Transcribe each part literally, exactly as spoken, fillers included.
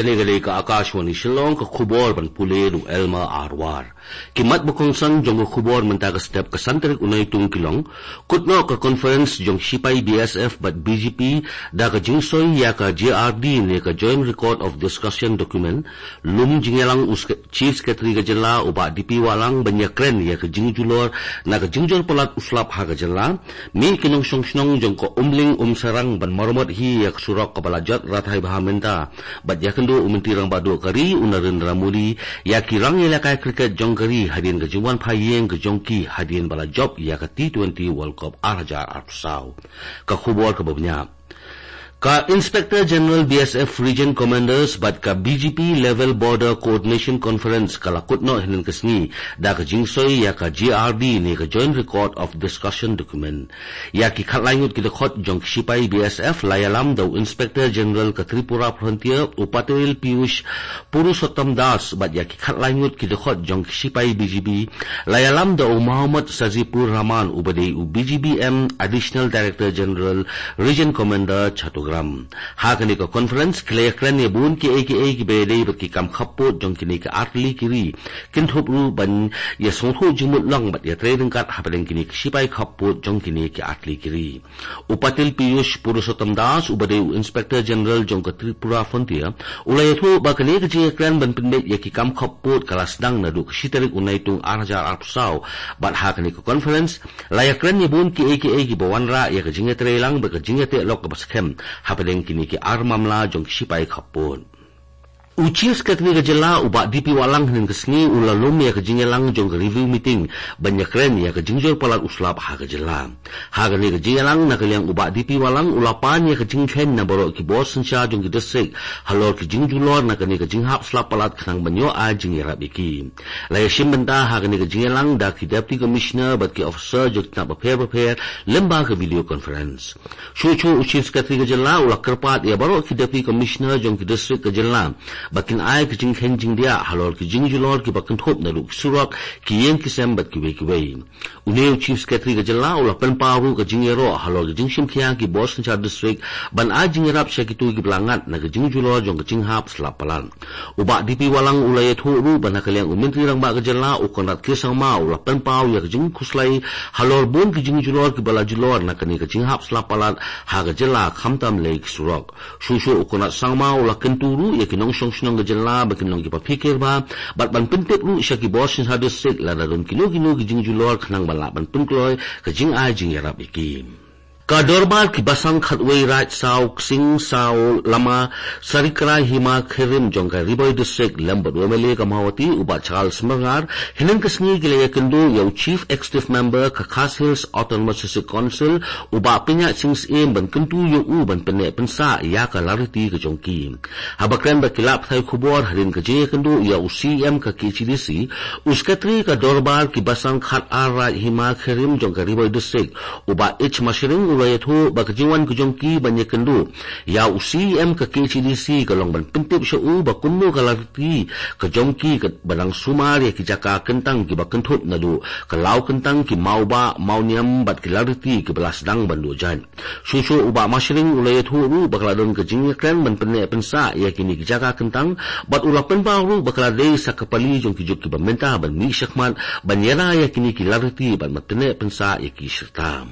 Kane ka dei ka Akashvani Shillong, ka khubor ban pule da u Elma Arwar. Ki mat ba kongsan jong ka khubor mynta ka step ka san tarik u Naitung ki long, kut noh ka conference jong sipai B S F bad B J P da ka jingsoi ïa ka J R D ne ka Joint Record of Discussion document, lum jingïalang u Sec-, Chief Secretary ka jylla u Bah D P Wahlang ban ïakren ïa ka jingjulor na ka jingjur palat u slap ha ka jylla, mih ki nongshong shnong jong ka Umling Umsairang ban maramot hi ïa ka surok kaba la jot rathai bha mynta, bad ïakynduh u Myntri Rangbah Duh ka ri u Narendra Modi ïa ki rangïalehkai cricket jong ka ri hadien ka jingwan phai ïing ka jong ki hadien ba la jop ïa ka T twenty World Cup ar hajar arphew saw. Ka khubor kaba bniah. Ka Inspector General B S F Region Commanders bad ka B G P Level Border Coordination Conference ka la kut noh hynnin ka sngi da ka jingsoi ïa ka J R D ne ka Joint Record of Discussion document. Ïa ki khatlai ngut ki dkhot jong ki sipai B S F la ïalam da u Inspector General ka Tripura Frontier u Patil Piyush Purushottam Das bad ïa ki khatlai ngut ki dkhot jong ki sipai B G B la ïalam da u Mohammad Sajibur Rahman uba dei u B G B M Additional Director General Region Commander Chattogram. Ha kane ka conference ki la ïakren ïa bun kiei kiei kiba ïadei bad ki kam khappud jong kine ki artylli ki ri, kynthup ruh ban ïasngewthuh jingmut long bad ïatrei ryngkat hapdeng kine ki sipai khappud jong kine ki artylli ki ri. U Patil Piyush Purushottam Das uba dei u Inspector General jong ka Tripura Frontier u la ïathuh ba kane ka jingïakren ban pynbeit ïa ki kam khappud ka la sdang naduh ka shi tarik u Naitung ar hajar arphew saw, bad ha kane ka conference la ïakren ïa bun kiei kiei kiba wanrah ïa ka jingïatreilang bad ka jingïateh lok kaba skhem hapdeng kine ki ar mamla jong ki sipai khappud. U Chief Secretary ka jylla u Bah D P Wahlang hynnin ka sngi u la lum ïa ka jingïalang jong ka review meeting ban ïakren ïa ka jingjur palat u slap ha ka jylla. Ha kane ka jingïalang na ka liang u Bah D P Wahlang u la pan ïa ka jingkheiñ na baroh ki bor synshar jong ki district halor ki jingjulor na kane ka jinghap slap palat khnang ban ïoh ai jingïarap ïa ki. La ïashim bynta ha kane ka jingïalang da ki Deputy Commissioner bad ki officer jong ki tnat bapher bapher lyngba ka video conference. Shuh shuh u Chief Secretary ka jylla u la kyrpad ïa baroh ki Deputy Commissioner jong ki district ka jylla ba kin ai ka jingkheiñ jingdiah halor ki jingjulor kiba kynthup naduh ki surok, ki ïing ki sem bad kiwei kiwei. Une u Chief Secretary ka jylla u la pynpaw ruh ka jingïaroh halor ka jingshim khia ki bor synshar district ban ai jingïarap sha kito kiba la ngat na ka jingjulor jong ka jinghap slap palat. U Bah D P Wahlang u la ïathuh ruh ba na ka liang u Myntri Rangbah ka jylla u Conrad K Sangma u la pynpaw ïa ka jingkhuslai halor bun ki jingjulor kiba la julor na kane ka jinghap slap palat ha ka jylla khamtam lei ki surok. Shuh shuh u Conrad Sangma u la kyntu ruh ïa ki nongshong shnong ka jylla ba kin long kiba phikir bha bad ban pyntip ruh sha ki bor synshar district lada don kino kino ki jingjulor khnang ban lah ban pynkloi ka jingai jingïarap ïa ki. Ka Dorbar ki Basan Khatwei Raid Saw Ksing Saw Lama Sarikrai Hima Kherim jong ka Ri Bhoi District lem bad u M L A ka Mawhati u Bah Charles Myrngar hynnin ka sngi ki la ïakynduh ïa u Chief Executive Member ka Khasi Hills Autonomous District Council u Bah Pynïaid Sing Syiem ban kyntu ïa u ban pynneh pynsah ïa ka lariti ka jong ki. Haba kren bad ki lad pathai khubor hadien ka jingïakynduh ïa u C E M ka K H A D C, u Secretary ka Dorbar ki Basan Khat Ar Raid Hima Kherim jong ka Ri Bhoi District, u Bah H Mashring u la ïathuh ba ka jingwan ka jong ki ban ïakynduh ïa u C E M ka K H A D C ka long ban pyntip sha u ba kumno ka lariti ka jong ki kaba dang sumar ïa ki jaka kyntang kiba kynthup naduh ka Law Kyntang, ki Mawbah, Mawniam bad ki lariti kiba la sdang ban duh jait. Shuh shuh u Bah Mashring u la ïathuh ruh ba ka la don ka jingïakren ban pynneh pynsah ïa kine ki jaka kyntang bad u la pynpaw ruh ba ka la dei sa ka pali jong ki juk kiba mynta ban mih shakhmat ban ïada ïa kine ki lariti bad ban pynneh pynsah ïa ki syrta.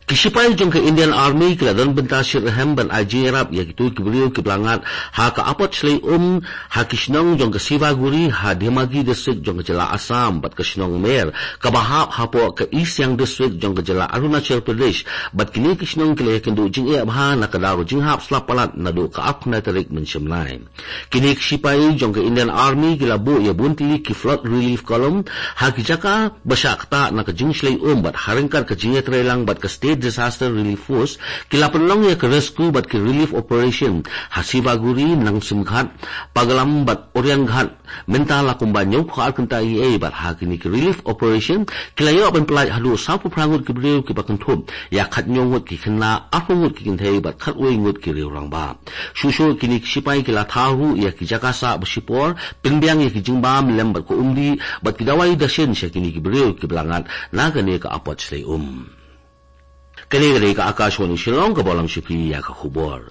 Ki sipai jong ka Indian Army ki la don bynta shitrhem ban ai jingïarap ïa kito ki briew kiba la ngat ha ka apot shlei um ha ki shnong jong ka Sibaguri ha Dhemagiri District jong ka jylla Assam bad ka shnong Mer kaba hap hapoh ka East Siang District jong ka jylla Arunachal Pradesh, bad kine ki shnong ki la ïakynduh jingeh bha na ka daw ka jinghap slap palat naduh ka arphew khyndai tarik mynshemlai. Kine ki sipai jong ka Indian Army ki la buh ïa bun tylli ki flood relief column ha ki jaka ba shah ktah na ka jingshlei um bad ha ryngkat ka jingïatreilang bad ka State Disaster Relief Force ki la pynlong ïa ka rescue bad ki relief operation ha Sibaguri, Nangsimghat, Pagalam bad Orianghat. Mynta la kumba hynñiewphew ar kynta eiei bad ha kine ki relief operation ki la ïoh ban pyllait haduh sawphew phra ngut ki briew kiba kynthup ïa khathynñiew ngut ki khynnah, arphew ngut ki kynthei bad khatwei ngut ki riew rangbah. Shuh shuh kine ki sipai ki la thaw ruh ïa ki jaka sah ba shipor, pynbiang ïa ki jingbam lem bad ka umdih bad ki dawai dashin sha kine ki briew kiba la ngat na kane ka apot shlei um. Kane ka dei ka Akashvani Shillong, ka bym lam shuh phi ïa ka khubor.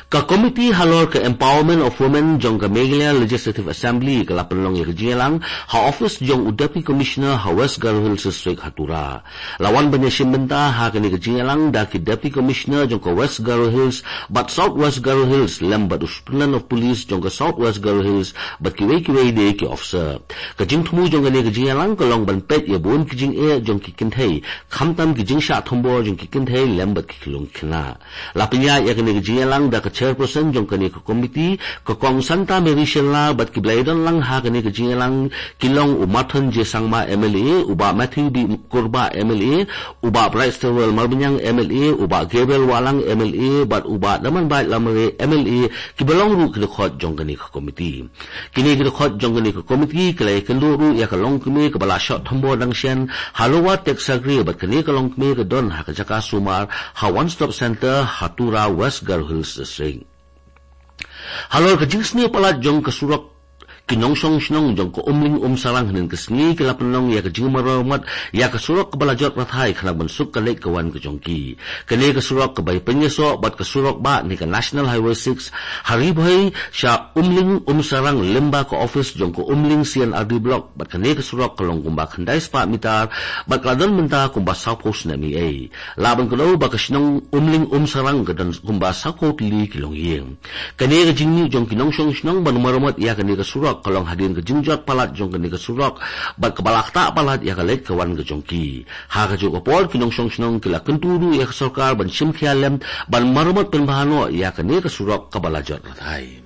Ka komiti halor ka Empowerment of Women jong ka Meghalaya Legislative Assembly ka la pynlong ïa ka jingïalang ha office jong u Deputy Commissioner ha West Garo Hills District ha Tura. La wan ban ïashim bynta ha kane ka jingïalang da ki Deputy Commissioner jong ka West Garo Hills bad South West Garo Hills lem bad u Superintendent of Police jong ka South West Garo Hills bad kiwei kiwei de ki officer. Ka jingthmu jong kane ka jingïalang ka long ban peit ïa bun ki jingeh jong ki kynthei, khamtam ki jingshah thombor jong ki kynthei lem bad ki khyllung khynnah. La pynïaid ïa kane ka jingïalang da ka chairperson jong kane ka komiti, ka Kong Santa Mary Shylla, bad kiba la ïadon lang ha kane ka jingïalang ki long u Marthon J Sangma M L A, u Bah Matthew B Kurbah M L A, u Bah Brightstarwell Marbaniang M L A, u Bah Gabriel Wahlang M L A, bad u Bah Damanbait Lamare M L A, kiba long ruh ki dkhot jong kane ka komiti. Kine ki dkhot jong kane ka komiti ki la ïakynduh ruh ïa ka longkmie kaba la shah thombor dang shen ha Lower Teksagre, bad kane ka longkmie ka don ha ka jaka sumar ha One Stop Center ha Tura, West Garo Hills District. Halor ka jingsniew palat jong ka surok ki nongshong shnong jong ka Umling Umsarang, hynnin ka sngi ki la pynlong ïa ka jingmaramot ïa ka surok kaba la jot rathai khnang ban suk ka leit ka wan ka jong ki. Kane ka surok kaba ïapynïasoh bad ka surok bah ne ka National Highway six ha Ri Bhoi sha Umling Umsarang lyngba ka office jong ka Umling C and R D Block, bad kane ka surok ka long kumba khyndai spah mitar bad ka la don mynta kumba sawphew snem eiei. Lah ban kdew ba ka shnong Umling Umsarang ka don kumba sawphew tylli ki longïing. Kane ka jingmih jong ki nongshong shnong ban maramot ïa kane ka surok ka long hadien ka jingjot palat jong kane ka surok bad kaba la ktah palat ïa ka leit ka wan ka jong ki. Ha kajuh ka por ki nongshong shnong ki la kyntu ruh ïa ka sorkar ban shim khia lem ban maramot pynbha noh ïa kane ka surok kaba la jot rathai.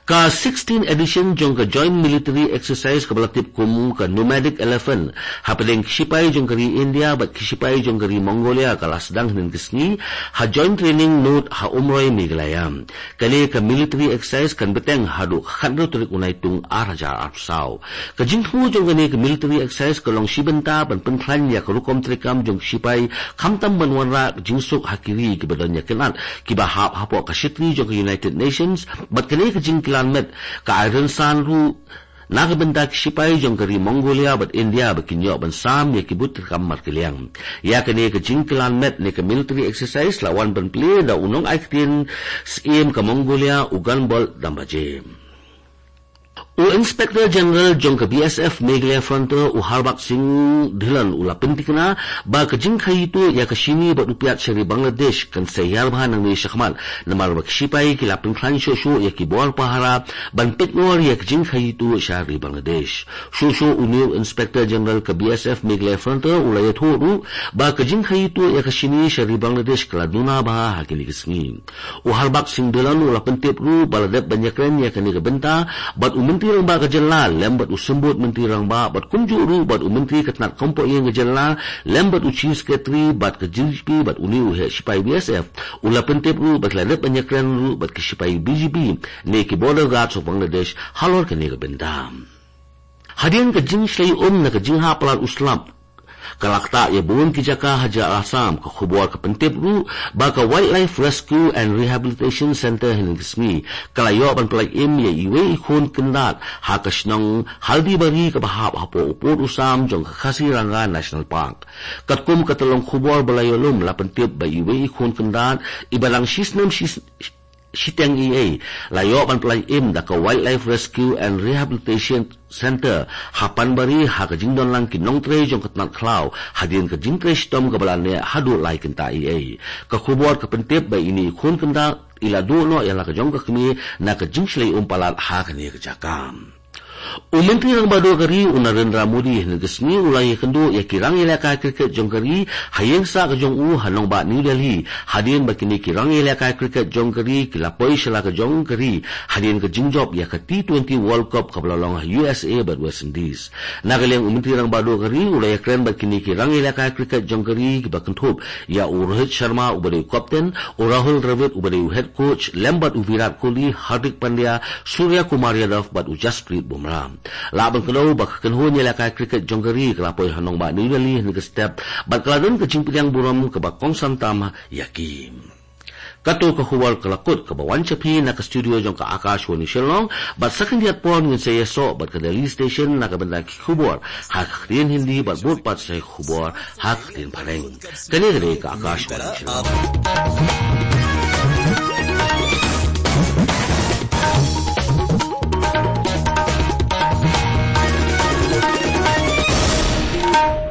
Ka sixteen edition jong ka Joint Military Exercise kaba la tip kum ka Nomadic Elephant hapdeng ki shipai jong ka ri India bad ki shipai jong ka ri Mongolia ka la sdang hynnin ka sngi ha Joint Training Node ha Umroi, Meghalaya. Kane ka military exercise kan bteng haduh ka khathynriew tarik u Naitung ar hajar arphew saw. Ka jingthmu jong kane ka military exercise ka long shi bynta ban pynkhlaiñ ïa ka rukom treikam jong ki shipai, khamtam ban wanrah ka jingsuk ha ki ri kiba don ïa ka kynad kiba hap hapoh ka shitri jong ka United Nations, bad kane ka jingkylliang met ka ai rynsan ruh na ka bynta ki shipai jong ka ri Mongolia bad India ba kin ïoh ban sam ïa ki buit treikam markylliang. Ïa kane ka jingkylliang met ne ka military exercise la wan ban plie da u nongai ktien Syiem ka Mongolia, u Gunbolt Dambaje. U Inspector General jong ka B S F Meghalaya Frontier, u Harbakr Singh Dhillon, u la pyntikna ba ka jingkhaii tuh ïa ka shini bad u piat sha ri Bangladesh kan sa hiar bha nangne shakhmat, namar ba ki shipai ki la pynkhlaiñ shuh shuh ïa ki bor pahara ban peit ngor ïa ka jingkhaii tuh sha ri Bangladesh. Shuh shuh une u Inspector General ka B S F Meghalaya Frontier u la ïathuh ruh ba ka jingkhaii tuh ïa ka shini sha ri Bangladesh ka la duna bha ha kine ki sngi. U Harbakr Singh Dhillon u la pyntip ruh ba la dep ban ïakren ïa kane ka bynta bad u Myntri Rangbah ka jylla lem bad u Symbud Myntri Rangbah bad kumjuh ruh bad u Myntri ka tnat kam poh ïing ka jylla lem bad u Chief Secretary bad ka D G P bad une u heh shipai B S F. U la pyntip ruh ba ki la dep ban ïakren ruh bad ki shipai B G P ne ki Border Guards of Bangladesh halor kane ka bynta. Hadien ka jingshlei um na ka jinghap palat u slap ka la ktah ïa bun ki jaka ha jylla Assam, ka khubor ka pyntip ruh ba ka Wildlife Rescue and Rehabilitation Centre hynnin ka sngi ka la ïoh ban pyllait im ïa iwei i khun khyndai ha ka shnong Haldibari kaba hap hapoh u pud u sam jong ka Kaziranga National Park. Katkum ka tyllong khubor ba la ïoh lum la pyntip ba iwei i khun khyndai iba dang shi snem shi shiteng eiei la ïoh ban pyllait im da ka Wildlife Rescue and Rehabilitation Centre ha Panbari ha ka jingdon lang ki nongtrei jong ka tnat khlaw hadien ka jingtrei shitom kaba la neh haduh lai kynta eiei. Ka khubor ka pyntip ba ine i khun khyndai i la duh noh ïa la ka jong ka kmie na ka jingshlei um palat ha kane ka jaka. U Myntri Rangbah Duh ka ri u Narendra Modi hynnin ka sngi u la ïakynduh ïa ki rangïalehkai cricket jong ka ri ha ïing sah ka jong u ha nongbah New Delhi, hadien ba kine ki rangïalehkai cricket jong ka ri ki la poi sha la ka jong ka ri hadien ka jingjop ïa ka T twenty World Cup kaba la long ha U S A bad West Indies. Na ka liang u Myntri Rangbah Duh ka ri u la ïakren bad kine ki rangïalehkai cricket jong ka ri kiba kynthup ïa u Rohit Sharma uba dei u captain, u Rahul Dravid uba dei u head coach, lem bad u Virat Kohli, Hardik Pandya, Surya Kumar Yadav bad u Jasprit Bumrah. Lah ban kdew ba ka kynhun ïalehkai cricket jong ka ri ka la poi ha nongbah New Delhi hynnin ka step bad ka la don ka jingpdiang burom kaba kongsan tam ïa ki. Kato ka khubor ka la kut kaba wan sha phi na ka studio jong ka Akashvani Shillong, bad sa khyndiat por ngin sa ïasoh bad ka Delhi Station na ka bynta ki khubor ha ka ktien Hindi bad bud pat sa ki khubor ha ka ktien Phareng. Kane ka dei ka Akashvani Shillong.